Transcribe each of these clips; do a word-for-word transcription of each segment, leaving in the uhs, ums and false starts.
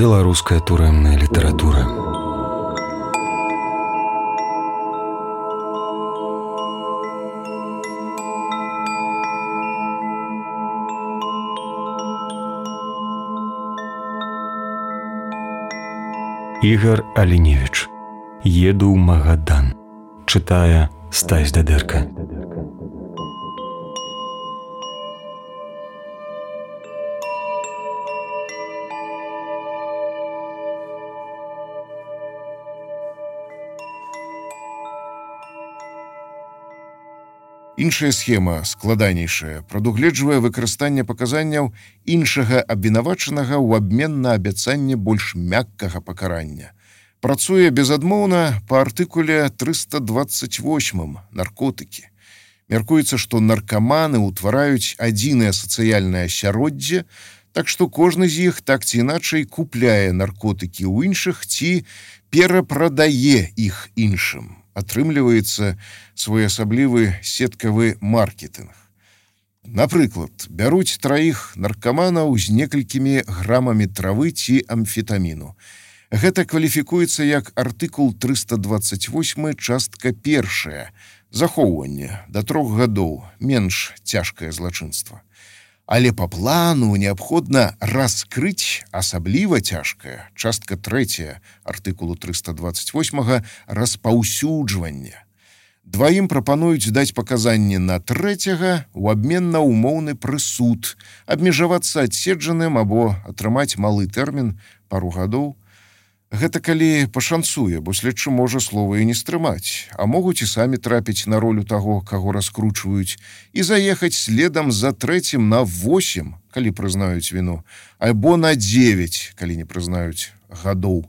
Беларуская турэмная літаратура. Ігар Аліневіч. Еду ў Магадан. Чытае Стась Дадэрка. Іншая схема, складанейшая, прадугледжвае выкарыстанне паказанняў іншага абвінавачанага ў абмен на абяцанне больш мяккага пакарання. Працуе безадмоўна па артыкуле трыста дваццаць восьмым наркотыкі. Мяркуецца, што наркаманы ўтвараюць адзінае сацыяльнае асяроддзе, так што кожны з іх так ці іначай купляе наркотыкі ў іншых ці перапрадае іх іншым. Атрымліваецца своеасаблівы сеткавы маркетынг. Напрыклад, бяруць траіх наркаманаў з некалькімі грамамі травы ці амфетаміну. Гэта кваліфікуецца як артыкул трыста дваццаць восьмы, частка першая, захоўванне да трох гадоў, менш цяжкае злачынства. Але па плану неабходна раскрыць асабліва цяжкае, частка трэцяя артыкулу трыста дваццаць восьмага, распаўсюджванне. Дваім прапануюць даць паказанні на трэцяга ў абмен на ўмоўны прысуд, абмежавацца адседжаным або атрымаць малы тэрмін, пару гадоў. Гэта калі пашанцуе, бо следчы можа слова і не стрымаць, а могуць і самі трапіць на ролю таго, каго раскручваюць, і заехаць следам за трэцім на восем, калі прызнаюць віну, альбо на дзевяць, калі не прызнаюць гадоў.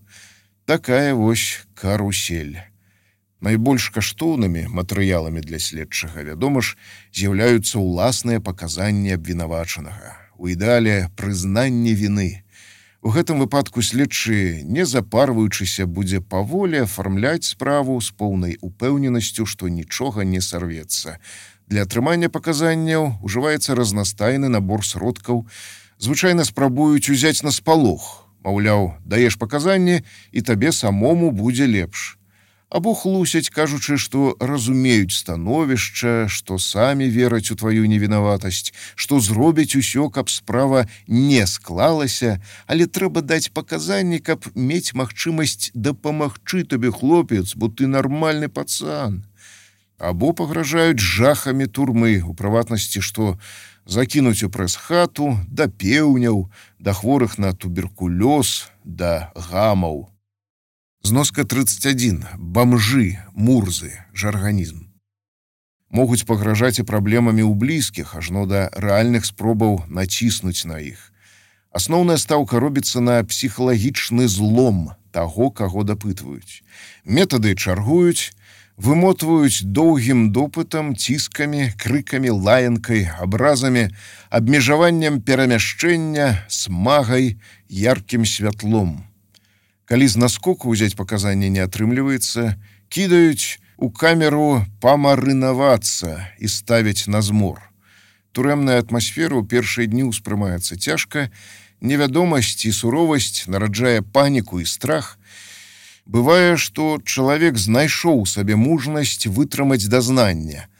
Такая вось карусель. Найбольш каштоўнымі матэрыяламі для следчага, вядома ж, з'яўляюцца ўласныя паказанні абвінавачанага. У ідэале прызнанне віны. У гэтым выпадку следчы, не запарваючыся, будзе паволі афармляць справу з поўнай упэўненасцю, што нічога не сарвецца. Для атрымання паказанняў ужываецца разнастайны набор сродкаў. Звычайна спрабуюць узяць на спалох. Маўляў, даеш паказанні, і табе самому будзе лепш. Або хлусяць, кажучы, што разумеюць становішча, што самі вераць у тваю невінаватасць, што зробяць усё, каб справа не склалася, але трэба даць паказанні, каб мець магчымасць дапамагчы табе, хлопец, бо ты нармальны пацан. Або пагражаюць жахамі турмы, у прыватнасці, што закінуць у прэс-хату, да пеўняў, да хворых на туберкулёз, да гамаў. Зноска трыццаць адзін. Бамжы, мурзы, жарганізм. Могуць пагражаць і праблемамі ў блізкіх, ажно да рэальных спробаў націснуць на іх. Асноўная стаўка робіцца на псіхалагічны злом таго, каго дапытваюць. Метады чаргуюць, вымотваюць доўгім допытам, ціскамі, крыкамі, лаянкай, абразамі, абмежаваннем перамяшчэння, смагай, яркім святлом. Калі з наскоку ўзяць паказанне не атрымліваецца, кідаюць у камеру памарынавацца і ставяць на змор. Турэмная атмасфера ў першыя дні ўспрымаецца цяжка, невядомасць і суровасць нараджае паніку і страх. Бывае, што чалавек знайшоў сабе мужнасць вытрымаць дазнання,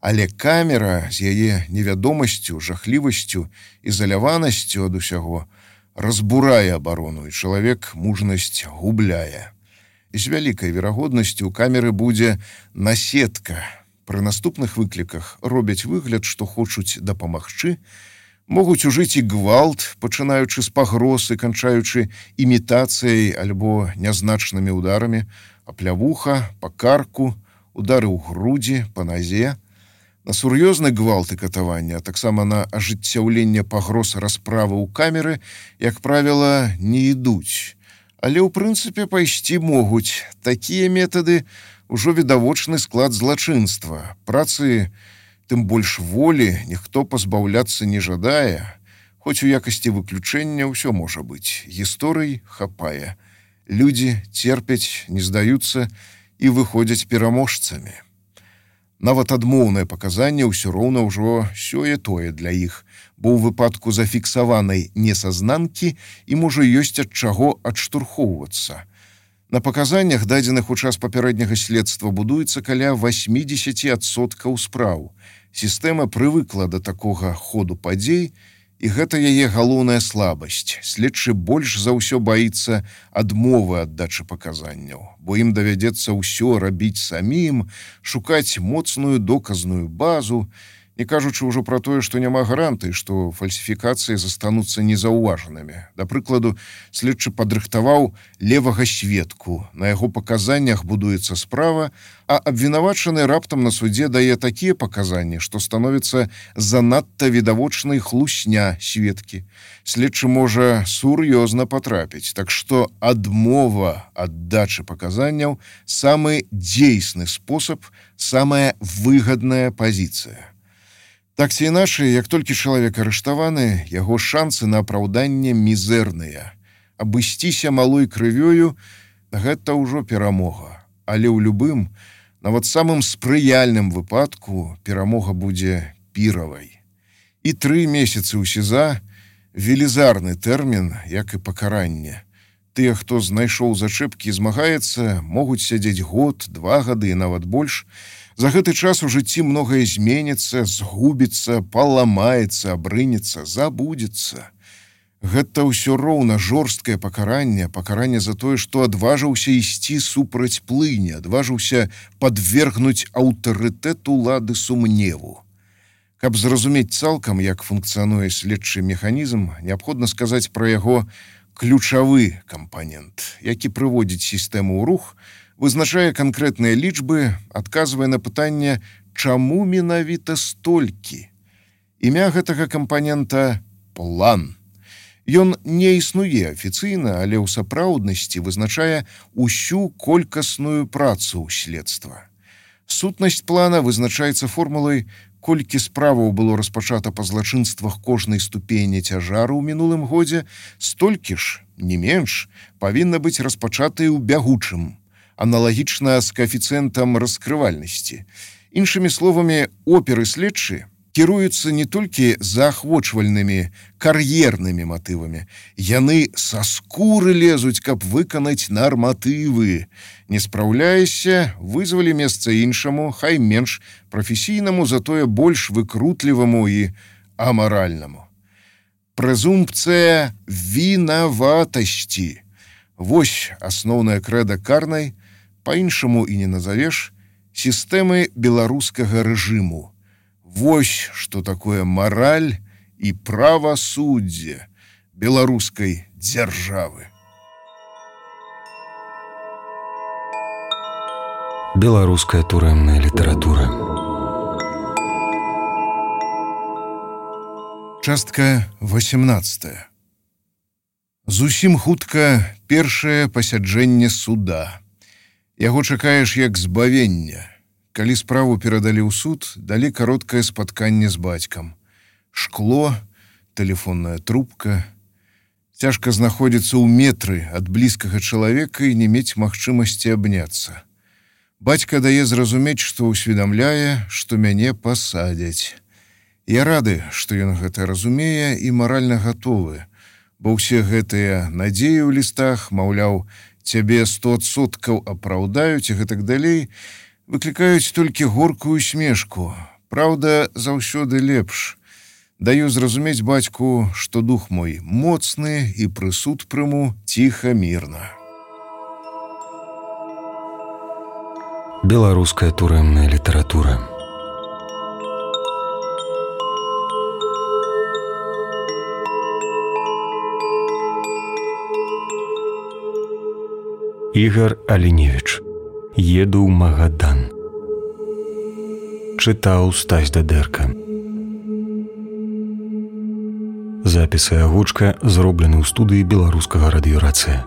але камера з яе невядомасцю, жахлівасцю, ізаляванасцю ад усяго разбурае абарону, і чалавек мужнасць губляе. З вялікай верагоднасцю у камеры будзе насетка. Пры наступных выкліках робяць выгляд, што хочуць дапамагчы, могуць ужыць і гвалт, пачынаючы з пагроз і канчаючы імітацыяй альбо нязначнымі ударамі, аплявуха, па карку, удары ў грудзі, па назе. На сур'ёзны гвалт і катаванне, а таксама на ажыццяўленне пагроз расправы ў камеры, як правіла, не ідуць. Але ў прынцыпе пайсці могуць. Такія метады ўжо відавочны склад злачынства. Працы, тым больш волі, ніхто пазбаўляцца не жадае. Хоць у якасці выключэння ўсё можа быць. Гісторый хапае. Людзі церпяць, не здаюцца і выходзяць пераможцамі. Нават адмоўнае паказанне ўсё роўна ўжо сёе-тое для іх, бо ў выпадку зафіксаванай несазнанкі ім ужо ёсць ад чаго адштурхоўвацца. На паказаннях, дадзеных у час папярэдняга следства, будуецца каля восемьдесят адсоткаў спраў. Сістэма прывыкла да такога ходу падзей, і гэта яе галоўная слабасць. Следчы больш за ўсё баіцца адмовы аддачы паказанняў, бо ім давядзецца ўсё рабіць самім, шукаць моцную доказную базу, не кажучы ўжо пра тое, што няма гарантыі, што фальсіфікацыі застануцца незаўважанымі. Да прыкладу, следчы падрыхтаваў левага сведку, на яго паказаннях будуецца справа, а абвінавачаны раптам на судзе дае такія паказанні, што становіцца занадта відавочнай хлусня сведкі. Следчы можа сур'ёзна патрапіць, так што адмова аддачы паказанняў самы дзейсны спосаб, самая выгадная пазіцыя. Так ці іначай, як толькі чалавек арыштаваны, яго шансы на апраўданне мізэрныя. Абысціся малой крывёю – гэта ўжо перамога. Але ў любым, нават самым спрыяльным выпадку перамога будзе піравай. І тры месяцы ў СІЗА – велізарны тэрмін, як і пакаранне. Тыя, хто знайшоў зачэпкі і змагаецца, могуць сядзець год, два гады і нават больш. За гэты час у жыцці многае зменіцца, згубіцца, паламаецца, абрынецца, забудзецца. Гэта ўсё роўна жорсткае пакаранне, пакаранне за тое, што адважыўся ісці супраць плыні, адважыўся падвергнуць аўтарытэт улады сумневу. Каб зразумець цалкам, як функцыянуе следчы механізм, неабходна сказаць пра яго ключавы кампанент, які прыводзіць сістэму ў рух, вызначае канкрэтныя лічбы, адказвае на пытанне, чаму менавіта столькі. Імя гэтага кампанента – план. Ён не існуе афіцыйна, але ў сапраўднасці вызначае ўсю колькасную працу следства. Сутнасць плана вызначаецца формулай, колькі справаў было распачата па злачынствах кожнай ступені цяжару ў мінулым годзе, столькі ж, не менш, павінна быць распачатай у бягучым, аналагічна з каэфіцыентам раскрывальнасці. Іншымі словамі, оперы следчы кіруюцца не толькі заахвочвальнымі, кар'ернымі матывамі. Яны са скуры лезуць, каб выканаць нарматывы. Не спраўляешся, вызвалі месца іншаму, хай менш прафесійнаму, затое больш выкрутліваму і амаральнаму. Прэзумпцыя вінаватасці. Вось асноўная крэда карнай, па-іншаму і не назавеш, сістэмы беларускага рэжыму. Вось што такое мараль і правасуддзе беларускай дзяржавы. Беларуская турэмная літаратура. Частка восемнадцатая. Зусім хутка першае пасяджэнне суда. Яго чакаеш як збавення. Калі справу перадалі ў суд, далі кароткае спатканне з бацькам. Шкло, тэлефонная трубка. Цяжка знаходзіцца ў метры ад блізкага чалавека і не мець магчымасці абняцца. Бацька дае зразумець, што ўсведамляе, што мяне пасадзяць. Я рады, што ён гэта разумее і маральна гатовы, бо ўсе гэтыя надзеі ў лістах, маўляў, цябе сто адсоткаў апраўдаюць і гэтак далей, выклікаюць толькі горкую смешку. Праўда, заўсёды лепш. Даю зразумець бацьку, што дух мой моцны і прысуд прыму ціха, мірна. Беларуская турэмная літаратура. Ігар Аліневіч. Еду ў Магадан. Чытаў Стась Дадэрка. Запісы агучка зроблены ў студыі беларускага радыёрацыя.